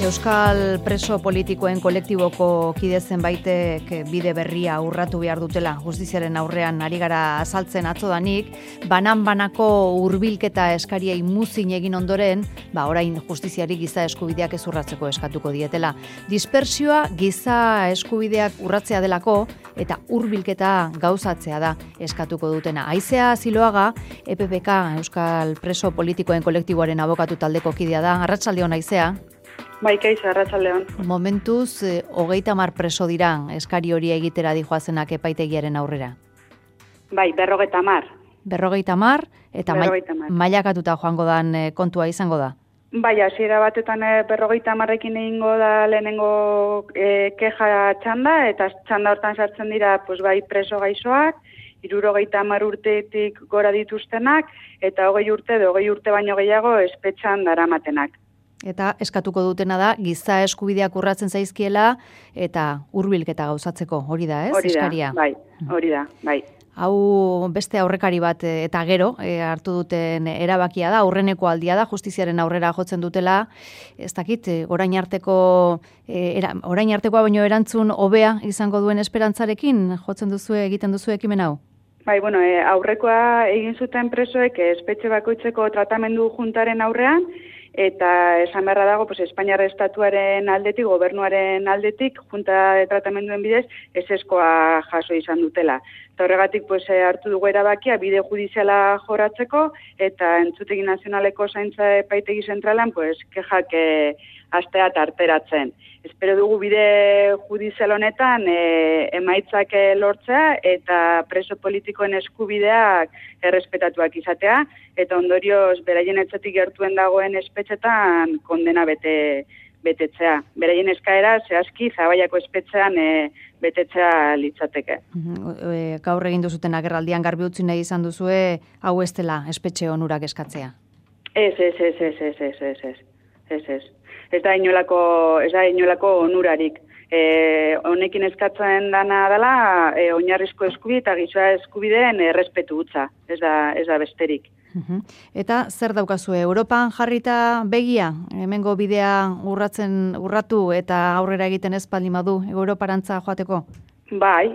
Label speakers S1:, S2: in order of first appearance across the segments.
S1: Euskal preso politikoen kolektiboko kide zenbaitek bide berria urratu behar dutela justiziaren aurrean ari gara azaltzen atzodanik, banan-banako hurbilketa eskariei muzin egin ondoren, orain justiziari giza eskubideak ez urratzeko eskatuko dietela. Dispersioa giza eskubideak urratzea delako eta hurbilketa gauzatzea da eskatuko dutena. Aizea Ziloaga, EPPK, Euskal preso politikoen kolektiboaren abokatu taldeko kidea da. Arratsaldeon, Aizea.
S2: Bai, Kaixo, arratsaldeon.
S1: Momentuz, 30 preso dira eskari hori egitera dijoazenak epaitegiaren aurrera.
S2: Bai, 50.
S1: 50 eta mailakatuta joango dan kontua izango da.
S2: Bai, hasiera batetan 50ekin egingo da lehenengo keja txanda, eta txanda hortan sartzen dira bai preso gaixoak, 70 urtetik gora dituztenak, eta 20 urte baino gehiago espetxan daramatenak.
S1: Eta eskatuko dutena da, giza eskubideak urratzen zaizkiela, eta hurbilketa gauzatzeko, hori da, ez? Eskaria.
S2: Hori da, bai.
S1: Hau beste aurrekari bat eta gero hartu duten erabakia da, aurreneko aldia da, justiziaren aurrera jotzen dutela, ez dakit, orain artekoa baino erantzun hobea izango duen esperantzarekin jotzen egiten duzu ekimen hau?
S2: Bai, aurrekoa egin zuten presoek espetxe bakoitzeko tratamendu juntaren aurrean, eta esan beharra dago, Espainiar estatuaren aldetik, gobernuaren aldetik, junta de tratamenduen bidez, ezeskoa jaso izan dutela. Eta horregatik hartu dugu erabakia bide judiziala joratzeko, eta Entzutegi Nazionaleko Zaintza Epaitegi Zentralan, kexak astea tarteratzen. Espero dugu bide judizial honetan emaitzak lortzea eta preso politikoen eskubideak errespetatuak izatea, eta ondorioz beraien etxetik gertuen dagoen espetxetan kondena betetzea. Beraien eskaera zehazki Zabaiako espetxean betetzea litzateke.
S1: Gaur egin duzuten agerraldian garbi utzi nahi izan duzue, hau ez dela espetxe onurak eskatzea?
S2: Ez. Ez da inolako onurarik. Honekin eskatzen dana dela oinarrizko eskubide eta giza eskubideen errespetu hutsa. Ez da besterik.
S1: Eta zer daukazue, Europan jarrita begia, hemengo bidea urratu eta aurrera egiten ez baldin badu Europarantza joateko?
S2: Bai,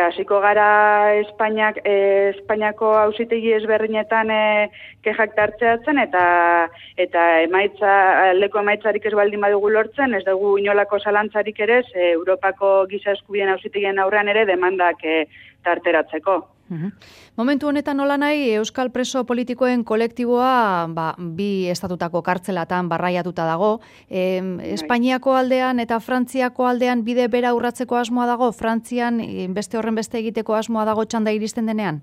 S2: hasiko gara Espainiako auzitegi ezberdinetan kexak tartzeatzen eta aldeko emaitzarik ez baldin badugu lortzen, ez dugu inolako zalantzarik ere Europako giza eskubideen auzitegien aurrean ere demandak tarteratzeko.
S1: Momentu honetan nola nahi, Euskal preso politikoen kolektiboa bi estatutako kartzelatan barraiatuta dago. Espainiako aldean eta Frantziako aldean bide bera urratzeko asmoa dago? Frantzian beste horren beste egiteko asmoa dago txanda iristen denean?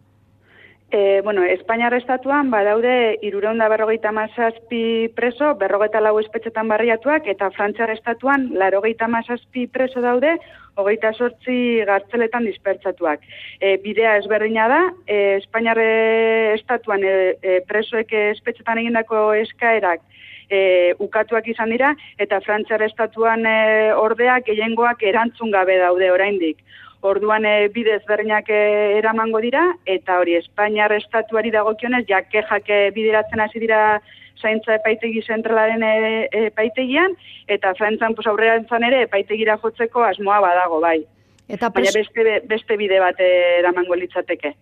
S2: Espainiar estatuan badaude 357 preso, 54 espetxetan barriatuak, eta Frantziar estatuan 87 preso daude, 28 gartzeletan dispertsatuak. Bidea ezberdina da, Espainiar estatuan presoek espetxetan egindako eskaerak ukatuak izan dira, eta Frantziar estatuan ordeak gehiengoak erantzun gabe daude oraindik. Orduan bide ezberdinak eramango dira, eta hori Espainiar estatuari dagokionez, kexak bideratzen hasi dira Zaintza Epaitegi Zentralaren epaitegian, eta Frantzian aurrerantzan ere epaitegira jotzeko asmoa badago, bai. Baina beste bide bat eramango litzateke.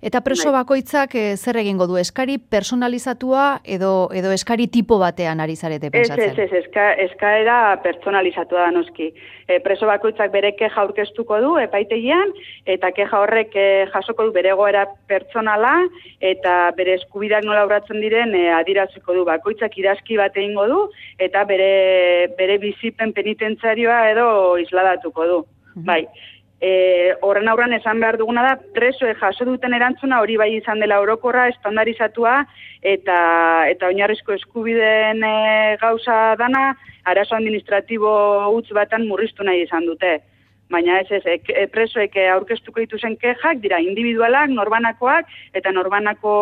S1: Eta preso bakoitzak zer egingo du? Eskari personalizatua edo eskari tipo batean ari zarete pentsatzen?
S2: Ez, eskaera personalizatua da noski. Preso bakoitzak bere keja aurkeztuko du epaitegian, eta keja horrek jasoko du bere egoera pertsonala, eta bere eskubideak nola urratzen diren adieraziko du. Bakoitzak idazki bat egingo du, eta bere bizipen penitentzarioa edo isladatuko du. Bai, horren aurrean esan behar duguna da, presoek jaso duten erantzuna hori bai izan dela orokorra, estandarizatua, eta oinarrizko eskubideen gauza dana, arazo administratibo huts batan murriztu nahi izan dute. Baina presoek aurkeztuko dituzen kexak dira individualak, norbanakoak, eta norbanako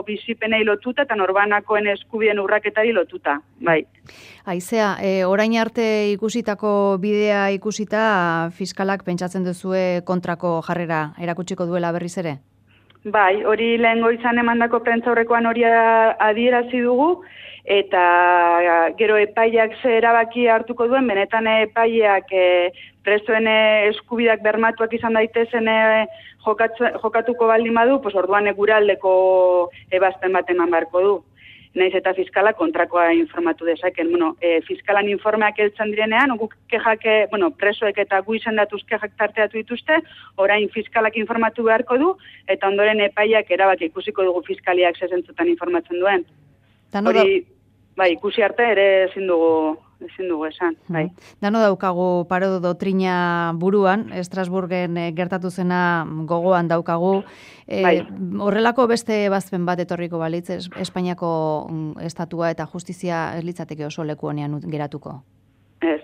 S2: bizipenei lotuta, eta norbanakoen eskubideen urraketari lotuta, bai.
S1: Aizea, orain arte ikusitako bidea ikusita, fiskalak pentsatzen duzue kontrako jarrera erakutsiko duela berriz ere?
S2: Bai, hori lehen goizan emandako prentzaurrekoan hori adierazi dugu, eta gero epaiak ze erabaki hartuko duen, benetan epaiak presoen eskubidak bermatuak izan daitezen jokatuko baldin badu, pues orduan guraldeko ebazpen bat eman beharko du. Naiz eta fiskala kontrakoa informatu dezaken. Fiskalan informeak heltzen direnean, guk kexak, presoek eta gu izendatuz kexak tarteatu dituzte, orain fiskalak informatu beharko du, eta ondoren epaiak erabaki ikusiko dugu fiskaliak zezentzutan informatzen duen. Hori, bai, ikusi arte ere ezin dugu esan. Bai.
S1: Dano daukagu paro doktrina buruan, Estrasburgen gertatu zena gogoan daukagu. Horrelako beste ebazpen bat etorriko balitz, Espainiako estatua eta justizia ez litzateke oso leku honean geratuko?
S2: Ez.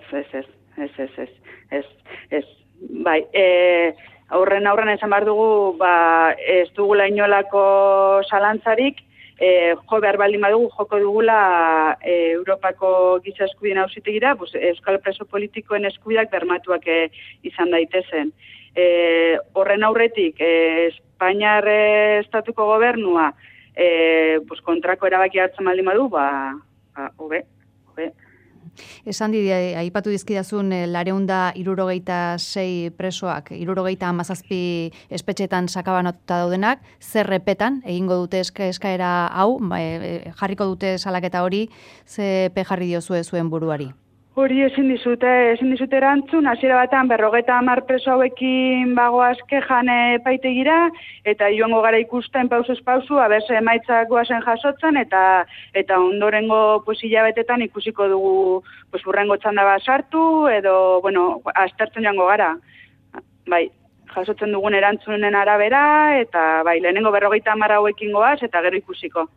S2: Bai, aurren esan behar dugu, ez dugula inolako zalantzarik, jo behar baldin badugu, joko dugula Europako giza eskubideen auzitegira, euskal preso politikoen eskubidak bermatuak izan daitezen. Horren aurretik, Espainiar estatuko gobernua kontrako erabaki hartzen baldin badu, hobe.
S1: Esan aipatu dizkidazun 266 presoak, 77 espetxetan sakabanatuta daudenak, zer repetan, egingo dute eskaera hau, jarriko dute salaketa hori, ze jarri diozue zuen buruari?
S2: Hori ezin dizute erantzun, hasiera batean 50 preso hauekin bagoaz kejan epaitegira, eta joango gara ikusten pausuz pausu, abese emaitzak goazen jasotzen, eta ondorengo hilabetetan ikusiko dugu urrengo txanda bat sartu, edo, aztertzen joango gara. Bai, jasotzen dugun erantzunen arabera, eta lehenengo 50 hauekin goaz, eta gero ikusiko.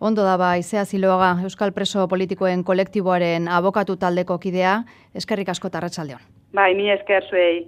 S1: Ondo da Izea Ziloaga, Euskal Preso Politikoen kolektiboaren abokatu taldeko kidea, eskerrik asko eta arratsaldeon.
S2: Bai, mi esker zuei.